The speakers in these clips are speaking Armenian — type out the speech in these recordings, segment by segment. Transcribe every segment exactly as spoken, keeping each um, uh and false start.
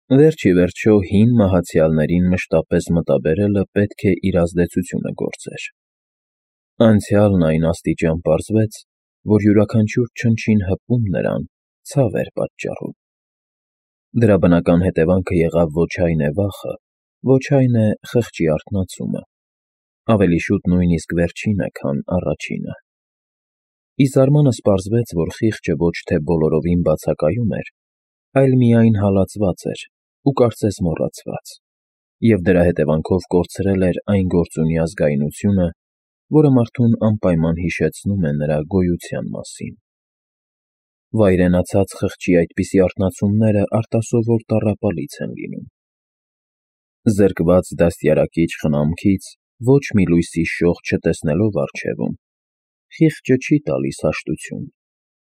Վերջ ի վերջո հին մահացյալներին մշտապես մտաբերելը պետք է իր ազդեցությունը գործեր. անցյալն այն աստիճան պարզվեց, որ յուրաքանչյուր չնչին հպում նրան ցավ էր պատճառում. դրա բնական հետևանքը եղավ ոչ այն է վախը, ոչ այն է խղճի արթնացումը, ավելի շուտ նույնիսկ վերջինը, քան առաջինը. ի զարմանս պարզվեց, որ խիղճը ոչ թե բոլորովին բացակայում էր, այլ միայն հալածված էր ու կարծես մոռացված, և դրա հետևանքով կորցրել էր այն գործունի ազգայնությունը, որը մարդուն անպայման հիշեցնում է նրա գոյության մասին. վայրենացած խղճի այդպիսի արթնացումները արտասովոր տառապալից են լինում. զրկված դաստիարակիչ խնամքից ոչ մի լույսի շող չտեսնելով առջևում, խիղճը չի տալիս հաշտություն,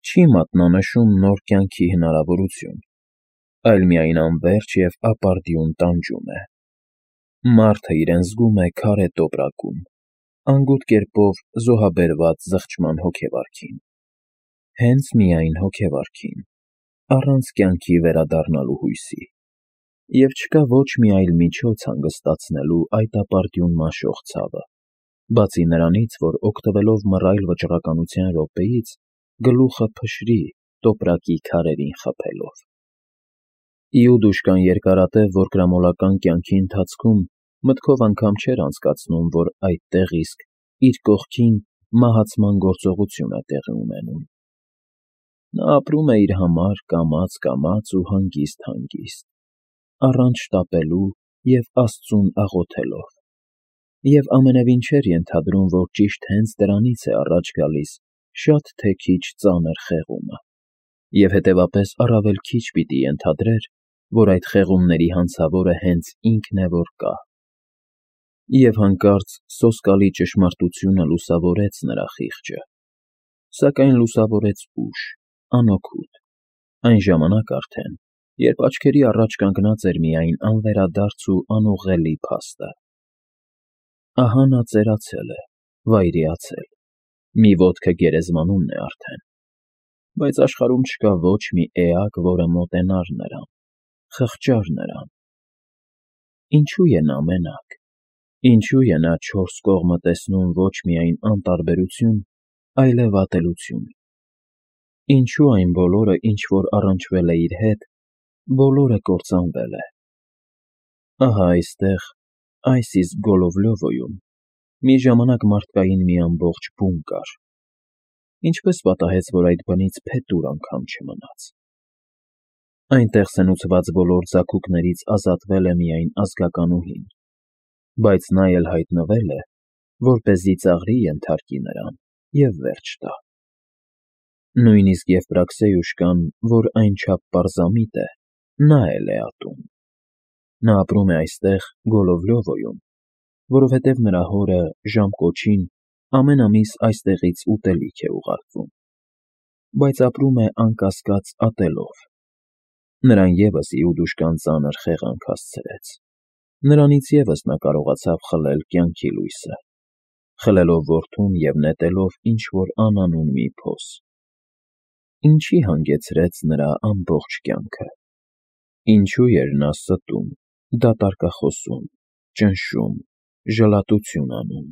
չի մատնանշում նոր կյանքի հնարավորություն, այլ միայն անվերջ և ապարդյուն տանջում է. մարդը իրեն զգում է քարե տոպրակում, անգութ կերպով զոհաբերված զղջման հոգեվարքին, հենց միայն հոգեվարքին, առանց կյանքի վերադառնալու հույսի, և չկա ոչ մի այլ միջոց հանգստացնելու այդ ապարդյուն մաշող ցավը, բացի նրանից, որ օգտվելով մռայլ վճռականության րոպեից, գլուխը փշրի տոպրակի քարերին խփելով. Իուդուշկան երկարատև որկրամոլական կյանքի ընթացքում մտքով անգամ չէր անցկացնում, որ այդտեղ իսկ իր կողքին մահացման գործողություն է տեղի ունենում. նա ապրում է իր համար կամաց֊կամաց ու հանգիստ֊հանգիստ, առանց շտապելու և աստծուն աղոթելով, և ամենևին չէր ենթադրում, որ ճիշտ հենց դրանից է առաջ գալիս շատ թե քիչ ծանր խեղումը, և հետևապես առավել քիչ պիտի ենթադրեր, որ այդ խեղումների հանցավորը հենց ինքն է որ կա. և հանկարծ սոսկալի ճշմարտությունը լուսավորեց նրա խիղճը, սակայն լուսավորեց ուշ, անօգուտ, այն ժամանակ արդեն, երբ աչքերի առաջ կանգնած էր միայն անվերադարձ ու անուղղելի փաստը. ահա նա ծերացել է, վայրիացել, մի ոտքը գերեզմանումն է արդեն, բայց աշխարհում չկա ոչ մի էակ, որը մոտենար նրան, խղճար նրան. ինչո՞ւ է նա մենակ, ինչո՞ւ է նա չորս կողմը տեսնում ոչ միայն անտարբերություն, այլև ատելություն, ինչո՞ւ այն բոլորը, ինչ որ առնչվել է իր հետ, բոլորը կործանվել է. ահա այստեղ, այս իսկ Գոլովլյովոյում, մի ժամանակ մարդկային մի ամբողջ բուն կար, ինչպես պատահեց, որ այդ բնից փետուր անգամ չմնաց. այնտեղ սնուցված բոլոր ձագուկներից ազատվել է միայն ազգականուհին, բայց նա էլ հայտնվել է, որպեսզի ծաղրի ենթարկի նրան և վերջ տա. նույնիսկ Եվպրաքսեյուշկան, որ այնչափ պարզամիտ է, նա էլ է ատում. նա ապրում է այստեղ Գոլովլյովոյում, որովհետև նրա հորը, Ժամկոչին, ամեն ամիս այստեղից ուտելիք է ուղարկվում, բայց ապրում է անկասկած ատելով. նրան ևս Իուդուշկան ծանր խեղանք հասցրեց, նրանից ևս նա կարողացավ խլել կյանքի լույսը, խլելով որդուն և նետելով ինչ-որ անանուն մի փոս. ինչի հանգեցրեց նրա ամբողջ կյանքը, ինչու էր նա ստում, դատարկախոսում, ճնշում, ժլատություն անում.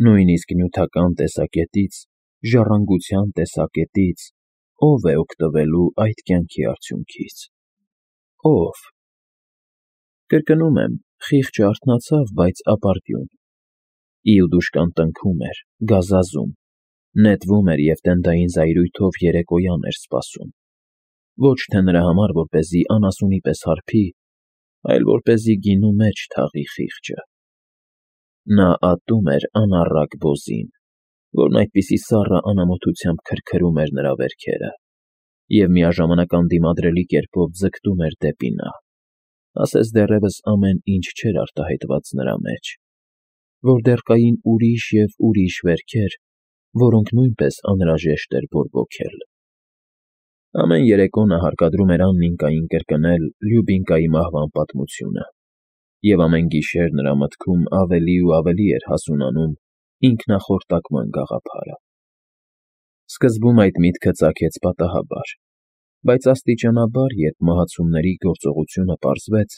նույնիսկ նյութական տեսակետից, ժառանգության տեսակետից, ո՞վ է օգտվելու այդ կյանքի արդյունքից, ո՞վ. կրկնում եմ, խիղճը արթնացավ, բայց ապարդյուն. Իուդուշկան տնքում էր, գազազում, նետվում էր և տենդային զայրույթով երեկոյան էր սպասում, ոչ թե նրա համար, որպեսզի անասունի պես հարբի, այլ որպեսզի գինու մեջ թաղի խիղճը. նա ատում էր անառակ բոզին, որն այդպիսի սառը անամոթությամբ քրքրում էր նրա վերքերը, և միաժամանակ անդիմադրելի կերպով ձգտում էր դեպի նա, ասես դեռևս ամեն ինչ չէր արտահայտված նրա մեջ, որ դեռ կային ուրիշ և ուրիշ վերքեր, որոնք նույնպես անհրաժեշտ էր բորբոքել. ամեն երեկո նա հարկադրում էր Աննինկային կրկնել Լյուբինկայի մահվան պատմությունը, և ամեն գիշեր նրա մտքում ավելի ու ավելի էր հասունանում ինքնախորտակման գաղափարը. սկզբում այդ միտքը ծագեց պատահաբար, Բայց աստիճանաբար, երբ մահացումների գործողությունը պարզվեց,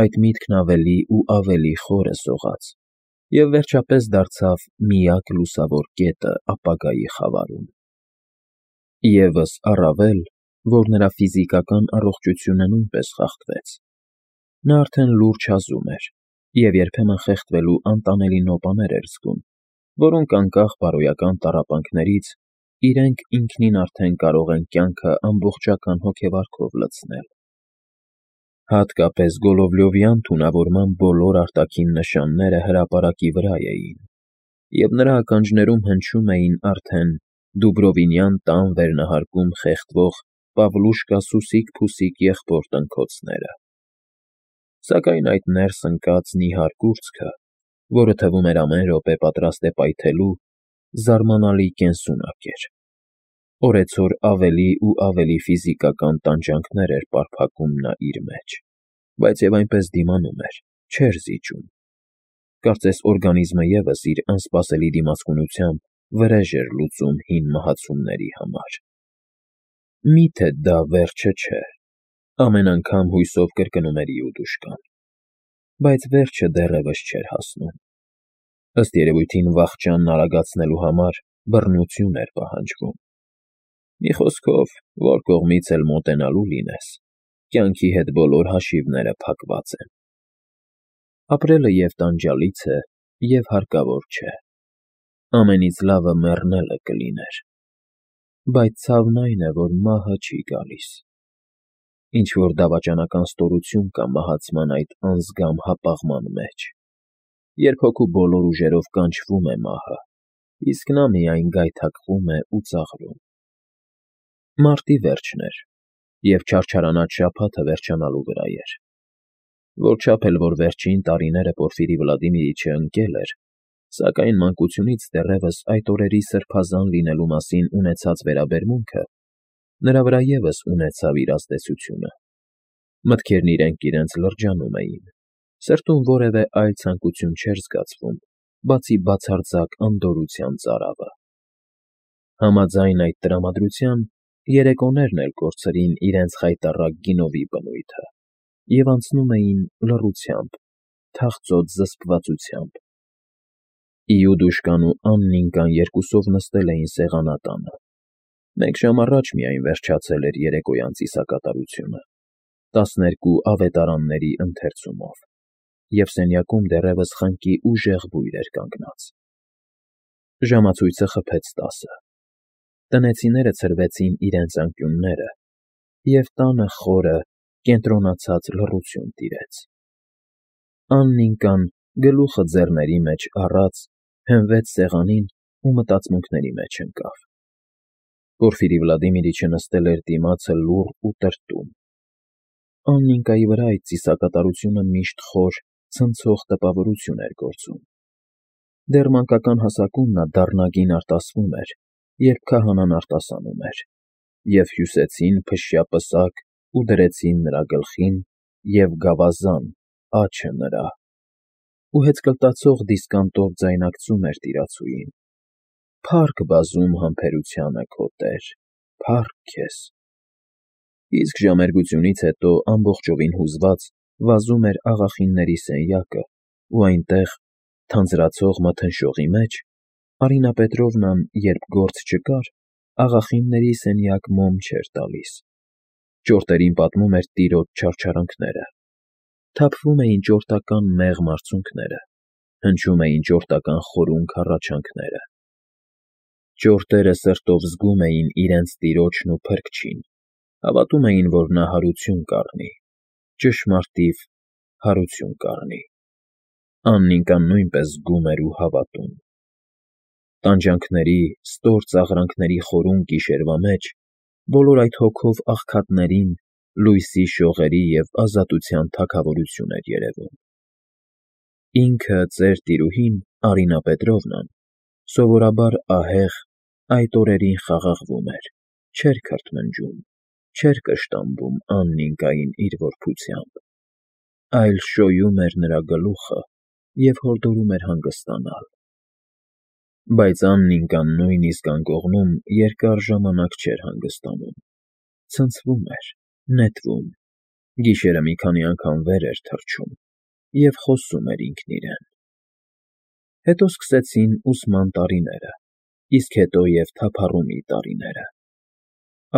այդ միտքն ավելի ու ավելի խորը սողաց և վերջապես դարձավ միակ լուսավոր կետը ապագայի խավարում։ Եվս առավել, որ նրա ֆիզիկական առողջությունը նույնպես խախտվեց։ Նա արդեն լուրջ հազում էր և երբեմն խեղդվելու անտանելի նոպաներ էր զգում, որոնք անկախ բարոյական տառապանքներից իրենք ինքնին արդեն կարող են կյանքը ամբողջական հոգեվարքով լցնել։ Հատկապես Գոլովլյովյան թունավորման բոլոր արտաքին նշանները հրապարակի վրա էին, և նրա ականջներում հնչում էին արդեն Դուբրովինյան տան վերնահարկում խեղդվող Պավլուշկա սուսիկ֊փուսիկ եղբոր տնքոցները։ Սակայն այդ ներս ընկած նիհար կուրծքը, որը թվում էր ամեն րոպե պատրաստ է պայթելու, զարմանալի կենսունակ էր։ Օրեցօր ավելի ու ավելի ֆիզիկական տանջանքներ էր պարփակում նա իր մեջ, բայց և այնպես դիմանում էր, չէր զիջում։ Կարծես օրգանիզմը ևս իր անսպասելի դիմացկունությամբ վրեժ էր լուծում հին մահացումների համար։ Մի՞թե դա վերջը չէ, ամեն անգամ հույսով կրկնում էր Իուդուշկան։ Բայց վերջը դեռևս չէր հասնում։ Ըստ երևույթին վախճանն արագացնելու համար բռնություն էր պահանջվում։ Մի խոսքով, որ կողմից էլ մոտենալու լինես, կյանքի հետ բոլոր հաշիվները փակված են։ Ապրելը և տանջալից է, և հարկավոր չէ։ Ամենից լավը մեռնելը կլիներ։ Բայց ցավն այն է, որ մահը չի գալիս։ Ինչ-որ դավաճանական ստորություն կա մահացման այդ անզգամ հապաղման մեջ, երբ հոգու բոլոր ուժերով կանչվում է մահը, իսկ նա միայն գայթակղում է ու ծաղրում։ Մարտի վերջն էր, և չարչարանած շաբաթը վերջանալու վրա էր։ Որչափ էլ որ վերջին տարիները Պորֆիրի Վլադիմիրիչը ընկել էր, սակայն մանկությունից դեռևս այդ օրերի սրբազան լինելու մասին ունեցած վերաբերմունքը նրա վրա ևս ունեցավ իր ազդեցությունը։ Մտքերն իրենք իրենց լրջանում էին, սրտում որևէ այլ ցանկություն չէր զգացվում, բացի բացարձակ անդորրության ծարավը։ Համաձայն այդ տրամադրության, երեկոներն էլ կորցրին իրենց խայտառակ գինովի բնույթը և անցնում էին լռությամբ, թախծոտ զսպվածությամբ։ Իուդուշկան ու Աննիկան երկուսով նստել էին սեղանատանը։ Մեկ ժամ առաջ միայն վերջացել էր երեկոյան ծիսակատարությունը, տասներկու ավետարանների ընթերցումով, և սենյակում դեռևս խնկի ուժեղ բույր էր կանգնած։ Ժամացույցը խփեց տասը։ Տնեցիները ցրվեցին իրենց անկյունները, և տանը խորը, կենտրոնացած լռություն տիրեց։ Աննիկան, գլուխը ձեռների մեջ առած, հենվեց սեղանին ու մտածմունքների մեջ ընկավ։ Պորֆիրի Վլադիմիրիչը նստել էր դիմացը լուռ ու տրտում։ Աննիկայի վրա այդ ծիսակատարությունը միշտ խոր, ցնցող տպավորություն էր գործում։ Դեռ մանկական հասակում նա դառնագին արտասվում էր, երբ քահանան արտասանում էր, և հյուսեցին փշյա պսակ ու դրեցին նրա գլխին, և գավազան՝ աջը նրա, ու հեծկլտացող դիսկանտով ձայնարկծում էր տիրացուին. «Փա՜ռք բազում համբերությանը, քո տեր, փա՜ռք քեզ»։ Իսկ ժամերգությունից հետո ամբողջովին հուզված վազում էր աղախինների սենյակը, ու այնտեղ, թանձրացող մթնշողի մեջ, Արինա Պետրովնան, երբ գործ չկար, աղախինների սենյակ մոմ չէր տալիս։ Ճորտերին պատմում էր տիրոջ չարչարանքները։ Թափվում էին ճորտական մեղմ արցունքները, հնչում էին ճորտական խորունգ հառաչանքները։ Ճորտերը սրտով զգում էին իրենց տիրոջն ու փրկչին, հավատում էին, որ նա հարություն կառնի, ճշմարտիվ հարություն կառնի։ Աննիկան նույնպես զգում էր ու հավատում։ Տանջանքների, ստոր ծաղրանքների խորուն գիշերվա մեջ բոլոր այդ հոգով աղքատներին լույսի շողերի և ազատության թագավորություն էր երևում։ Ինքը ծեր տիրուհին, Արինա Պետրովնան, սովորաբար ահեղ, այդ օրերին խաղաղվում էր, չէր քրթմնջում, չէր կշտամբում Աննիկային իր որբությամբ, այլ շոյում էր նրա գլուխը և հորդորում էր հանգստանալ։ Բայց Աննիկան նույնիսկ անկողնում երկար ժամանակ չէր հանգստանում։ ցնցվում էր, նետվում, գիշերը մի քանի անգամ վեր էր թռչում և խոսում էր ինքն իրեն։ Հետո սկսեցին ուսման տարիները, իսկ հետո և թափառումի տարիները։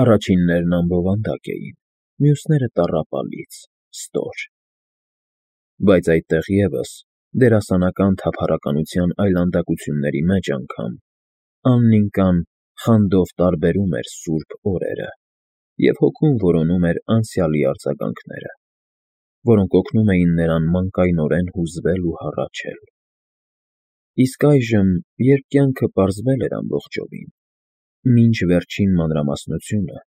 Առաջիններն անբովանդակ էին, մյուսները տառապալից, ստոր։ Բայց այդտեղ ևս, դերասանական թափառականության այլանդակությունների մեջ անգամ, Աննիկան խանդով տարբերում էր սուրբ օրերը և հոգում որոնում էր անցյալի արձագանքները, որոնք օգնում էին նրան մանկայնորեն հուզվել ու հառաչել։ Իսկ այժմ, երբ կյանքը պարզվել էր ամբողջովին, մինչ վերջին մանրամասնությունը,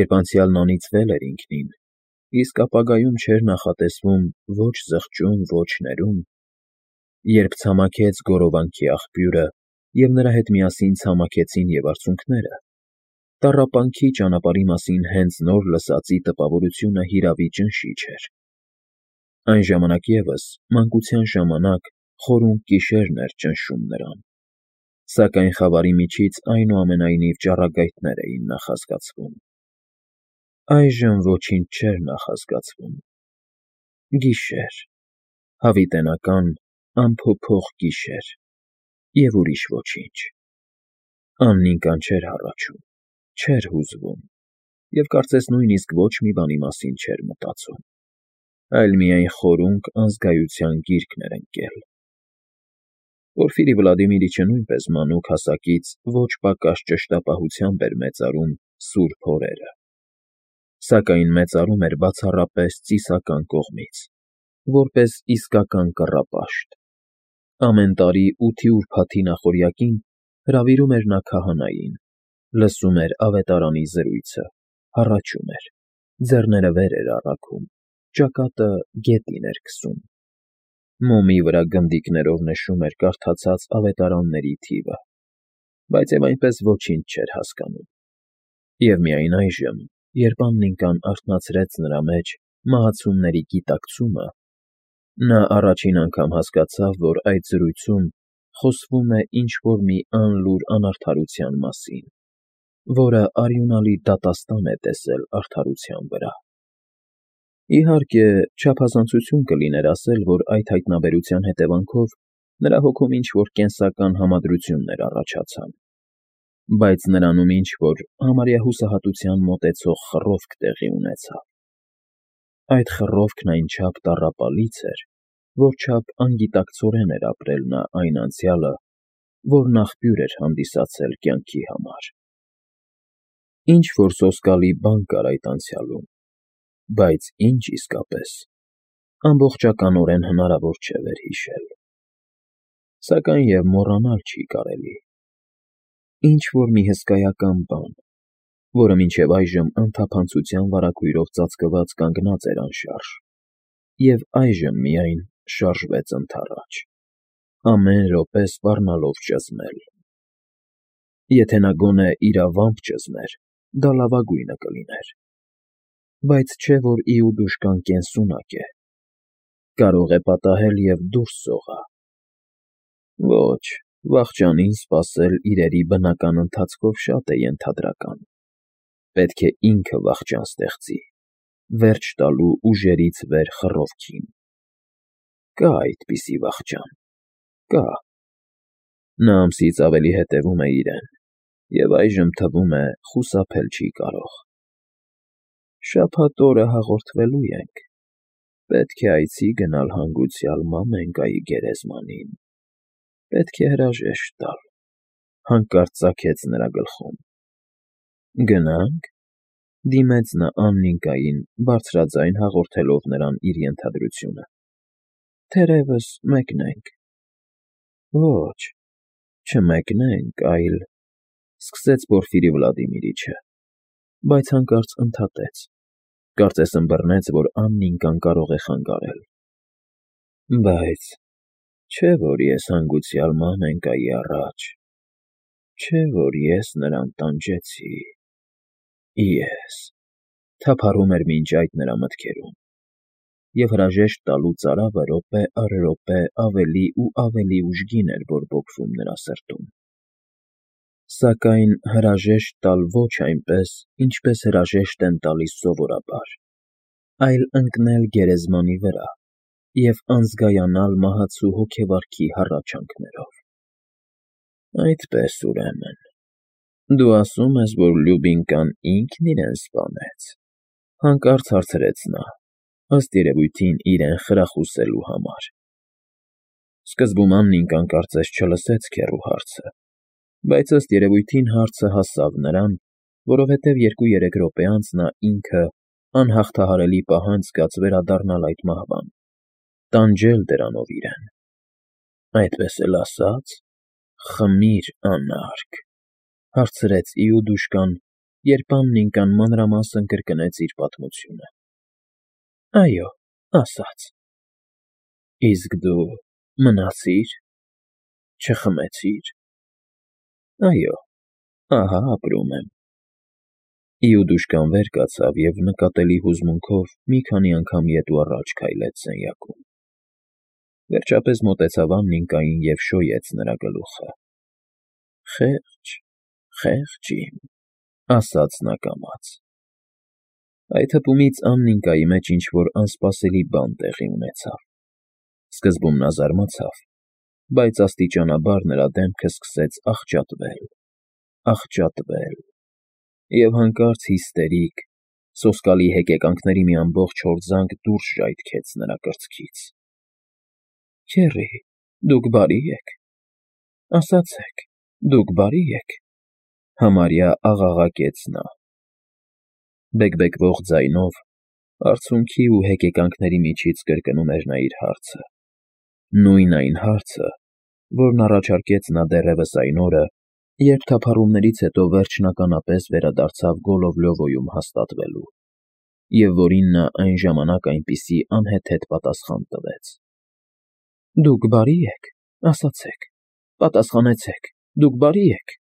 երբ անցյալն անիծվել էր ինքնին, իսկ ապագայում չէր նախատեսվում ոչ զղջում, ոչ ներում, երբ ցամաքեց գորովանքի աղբյուրը և նրա հետ միասին ցամաքեցին և արցունքները, տառապանքի ճանապարհի մասին հենց նոր լսածի տպավորությունը հիրավի ճնշիչ էր։ Այն ժամանակ ևս, մանկության ժամանակ, խորունկ գիշերն էր ճնշում նրան, սակայն խավարի միջից այնուամենայնիվ ճառագայթներ էին նախազգացվում։ Այժմ ոչինչ չէր նախազգացվում։ Գիշեր, հավիտենական, անփոփոխ գիշեր և ուրիշ ոչինչ։ Աննիկան չէր հառաչում, չէր հուզվում և կարծես նույնիսկ ոչ մի բանի մասին չէր մտածում, այլ միայն խորունկ անզգայության գիրկն էր ընկել։ Պորֆիրի Վլադիմիրիչը նույնպես մանուկ հասակից ոչ պակաս ճշտապահությամբ էր մեծարում սուրբ օրերը, սակայն մեծարում էր բացառապես ծիսական կողմից, որպես իսկական կռապաշտ։ Ամեն տարի ութի ուրբաթի նախօրյակին հրավիրում էր նա քահանային, լսում էր ավետարանի զրույցը, հառաչում էր, ձեռները վեր էր առաքում, ճակատը գետին էր քսում, մոմի վրա գնդիկներով նշում էր կարդացած ավետարանների թիվը, բայց և այնպես ոչինչ չէր հասկանում։ Եվ միայն այժմ, երբ Աննիկան արթնացրեց նրա մեջ մահացումների գիտակցումը, նա առաջին անգամ հասկացավ, որ այդ զրույցում խոսվում է ինչ֊որ մի անլուռ անարդարության մասին, որը արյունալի դատաստան է տեսել արդարության վրա։ Իհարկե, չափազանցություն կլիներ ասել, որ այդ հայտնաբերության հետևանքով նրա հոգում ինչ֊որ կենսական համադրություններ առաջացան, բայց նրանում ինչ֊որ համարյա հուսահատության մոտեցող խռովք տեղի ունեցավ։ Այդ խռովքն այնչափ տառապալից էր, որչափ անգիտակցորեն էր ապրել նա այն անցյալը, որն աղբյուր էր հանդիսացել կյանքի համար։ Ինչ֊որ սոսկալի բան կար այդ անցյալում, բայց ինչ իսկապես, ամբողջականորեն հնարավոր չէ վերհիշել։ Սակայն և մոռանալ չի կարելի։ Ինչ֊որ մի հսկայական բան, որը մինչև այժմ անթափանցության վարագույրով ծածկված կանգնած էր անշարժ, և այժմ միայն շարժվեց ընդառաջ, ամեն րոպե սպառնալով ճզմել։ Եթե նա գոնե իրավամբ ճզմեր, դա լավագույնը կլիներ, բայց չէ որ իուդուշկան կենսունակ է, կարող է պատահել և դուրս սողա։ Ոչ, վախճանին սպասել իրերի բնական ընթացքով շատ է ենթադրական, պետք է ինքը վախճան ստեղծի, վերջ տալու ուժերից վեր խռովքին։ Կա այդպիսի վախճան, կա։ Նա ամսից ավելի հետևում է իրեն և այժմ, թվում է, խուսափել չի կարող։ Շաբաթ օրը հաղորդվելու ենք, պետք է այցի գնալ հանգուցյալ մամենկայի գերեզմանին, պետք է հրաժեշտ տալ, հանկարծ ծագեց նրա գլխում։ Գնա՞նք, ֊ դիմեց նա Աննիկային, բարձրաձայն հաղորդելով նրան իր ենթադրությունը։ Թերևս մեկնենք։ Ոչ, չմեկնենք, այլ, ֊ սկսեց Պորֆիրի Վլադիմիրիչը, բայց հանկարծ ընդհատեց, կարծես ըմբռնեց, որ Աննիկան կարող է խանգարել։ Բայց չէ՞ որ ես հանգուցյալ մամենկայի առաջ, չէ՞ որ ես նրան տանջեցի, ես, ֊ թափառում էր մինչ այդ նրա մտքերում, և հրաժեշտ տալու ծարավը րոպե առ րոպե ավելի ու ավելի ուժգին էր բորբոքվում նրա սրտում։ Սակայն հրաժեշտ տալ ոչ այնպես, ինչպես հրաժեշտ են տալիս սովորաբար, այլ ընկնել գերեզմանի վրա և անզգայանալ մահացու հոգեվարքի հառաչանքներով։ Այդպես, ուրեմն, դու ասում ես, որ Լյուբինկան ինքն իրեն սպանեց,֊ հանկարծ հարցրեց նա, ըստ երևույթին իրեն խրախուսելու համար։ Սկզբում Աննիկան կարծես չլսեց քեռու հարցը, բայց ըստ երևույթին հարցը հասավ նրան, որովհետև երկու֊երեք րոպե անց նա ինքը անհաղթահարելի պահանջ զգաց վերադառնալ այդ մահվան, տանջել դրանով իրեն։ Այդպես էլ ասա՞ծ, խմիր, անարգ,֊ հարցրեց Իուդուշկան, երբ Աննիկան մանրամասն կրկնեց իր պատմությունը։ Այո, ասաց։ Իսկ դու մնացի՞ր, չխմեցի՞ր։ Այո, ահա ապրում եմ։ Իուդուշկան վեր կացավ և նկատելի հուզմունքով մի քանի անգամ ետ ու առաջ քայլեց սենյակում։ Վերջապես մոտեցավ Աննիկային և շոյեց նրա գլուխը։ Խե՜ղճ, խեղճ իմ,֊ ասաց նա կամաց։ Այդ հպումից Աննիկայի մեջ ինչ֊որ անսպասելի բան տեղի ունեցավ։ Սկզբում նա զարմացավ, բայց աստիճանաբար նրա դեմքը սկսեց աղճատվել, աղճատվել, և հանկարծ հիստերիկ, սոսկալի հեկեկանքների մի ամբողջ հորձանք դուրս ժայթքեց նրա կրծքից։ Քեռի, դուք բարի՞ եք, ասացեք, դուք բարի՞ եք,֊ համարյա աղաղակեց նա։ Բեկբեկվող ձայնով, արցունքի ու հեկեկանքների միջից կրկնում էր նա իր հարցը, նույն այն հարցը, որն առաջարկեց նա դեռևս այն օրը, երբ թափառումներից հետո վերջնականապես վերադարձավ Գոլովլյովոյում հաստատվելու, և որին նա այն ժամանակ այնպիսի անհեթեթ պատասխան տվեց. Դուք բարի՞ եք, ասացեք, պատասխանեցեք, դուք բարի՞ եք։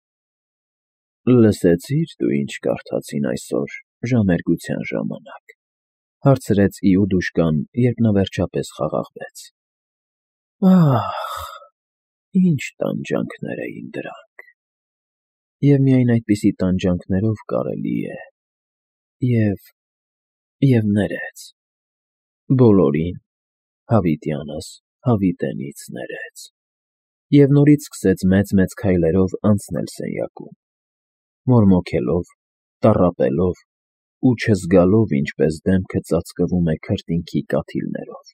Լսեցի՞ր դու ինչ կարդացին այսօր ժամերգության ժամանակ,֊ հարցրեց Իուդուշկան, երբ նա վերջապես խաղաղվեց։ Ա՜խ, ինչ տանջանքներ էին դրանք, և միայն այդպիսի տանջանքներով կարելի է… և… և ներեց… բոլորին, հավիտյանս հավիտենից ներեց… Եվ նորից սկսեց մեծ֊մեծ քայլերով անցնել սենյակում, մորմոքելով, տառապելով ու չզգալով ինչպես դեմքը ծածկվում է քրտինքի կաթիլներով։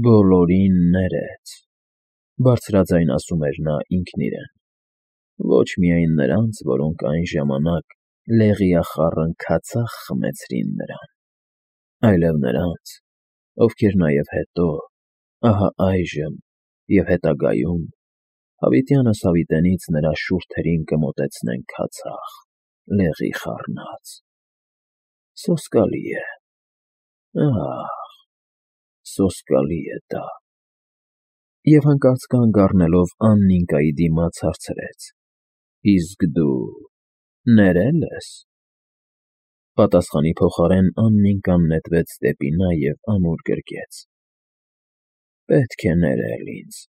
Բոլորին ներեց,֊ բարձրաձայն ասում էր նա ինքն իրեն, ոչ միայն նրանց, որոնք այն ժամանակ լեղիախառն քացախ խմեցրին նրան, այլև նրանց, ովքեր նաև հետո, ահա այժմ և հետագայում հավիտյանս հավիտենից նրա շուրթերին կմոտեցնեն քացախ, լեղի խառնած… Սոսկալի է, ա՜խ, սոսկալի է դա… Եվ հանկարծ կանգ առնելով Աննիկայի դիմաց հարցրեց. Իսկ դու ներե՞լ ես։ Պատասխանի փոխարեն Աննիկան նետվեց դեպի նա և ամուր գրկեց։ Պետք է ներել ինձ,֊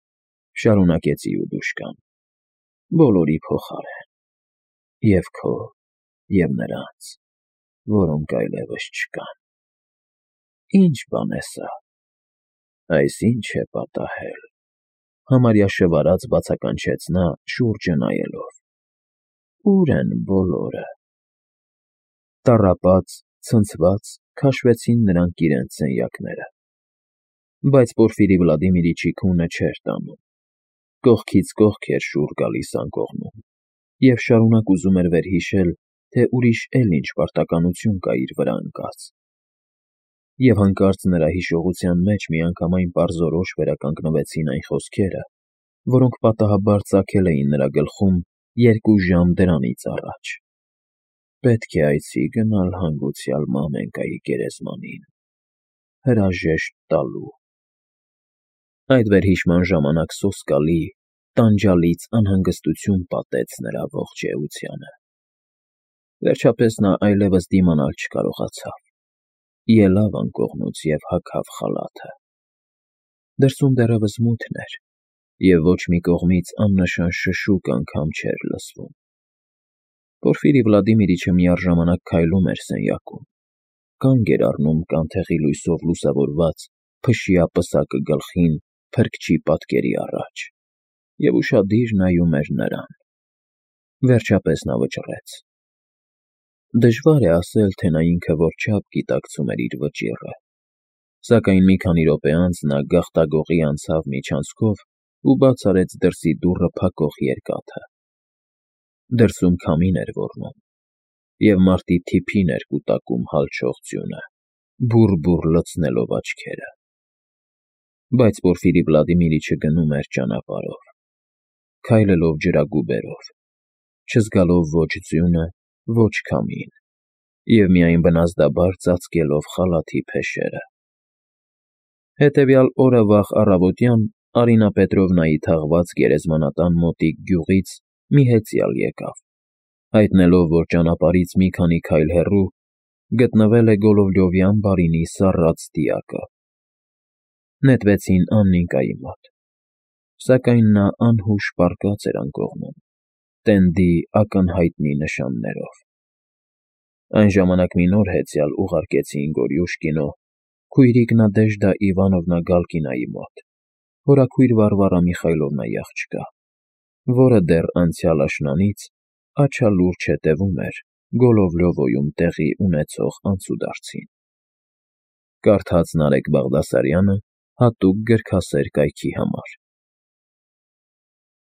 շարունակեց Իուդուշկան,֊ բոլորի փոխարեն, և քո, և նրանց, որոնք այլևս չկան… Ի՞նչ բան է սա… Այս ի՞նչ է պատահել,֊ համարյա շվարած բացականչեց նա, շուրջը նայելով։ Ո՞ւր են բոլորը… Տառապած, ցնցված քաշվեցին նրանք իրենց սենյակները, բայց Պորֆիրի Վլադիմիրիչի քունը չէր տանում, կողքից կողք էր շուռ գալիս անկողնում և շարունակ ուզում էր վերհիշել, թե ուրիշ էլ ինչ պարտականություն կա իր վրա ընկած… Եվ հանկարծ նրա հիշողության մեջ միանգամայն պարզորոշ վերականգնվեցին այն խոսքերը, որոնք պատահաբար ծագել էին նրա գլխում երկու ժամ դրանից առաջ. Պետք է այցի գնալ հանգուցյալ մամենկայի գերեզմանին, հրաժեշտ տալու… Այդ վերհիշման ժամանակ սոսկալի, տանջալից անհանգստություն պատեց նրա ողջ էությանը… Վերջապես նա այլևս դիմանալ չկարողացավ, ելավ անկողնուց և հագավ խալաթը… Դրսում դեռևս մութն էր, և ոչ մի կողմից աննշան շշուկ անգամ չէր լսվում։ Պորֆիրի Վլադիմիրիչը միառժամանակ քայլում էր սենյակում, կանգ էր առնում կանթեղի լույսով լուսավորված փշյա պսակը գլխին փրկչի պատկերի առաջ և ուշադիր նայում էր նրան։ Վերջապես նա վճռեց. դժվար է ասել, թե նա ինքը որչափ գիտակցում էր իր վճիռը, սակայն մի քանի րոպե անց նա գաղտագողի անցավ միջանցքով ու բաց արեց դրսի դուռը փակող երկաթը։ Դրսում քամին էր ոռնում, և մարտի թիփին էր կուտակում հալչող ձյունը, բուռ֊բուռ լցնելով աչքերը։ Բայց Պորֆիրի Վլադիմիրիչը գնում էր ճանապարհով, քայլելով ջրագուբերով, չզգալով ոչ ձյունը, ոչ քամին, և միայն բնազդաբար ծածկելով խալաթի փեշերը։ Հետևյալ օրը վաղ առավոտյան Արինա Պետրովնայի թաղված գերեզմանատան մոտիկ գյուղից մի հեծյալ եկավ, հայտնելով, որ ճանապարհից մի քանի քայլ հեռու գտնվել է Գոլովլյովյան բարինի սառած դիակը։ Նետվեցին Աննիկայի մոտ, սակայն նա անհուշ պառկած էր անկողնում, տենդի ակնհայտնի նշաններով։ Այն ժամանակ մի նոր հեծյալ ուղարկեցին Գորյուշկինո, քույրիկ Նադեժդա Իվանովնա Գալկինայի մոտ, հորաքույր Վարվարա Միխայլովնայի աղջկա, որը դեռ անցյալ աշնանից աչալուրջ հետևում էր Գոլովլյովոյում տեղի ունեցող անցուդարձին։ Կարդաց Նարեկ Բաղդասարյանը հատուկ գրքասեր կայքի համար։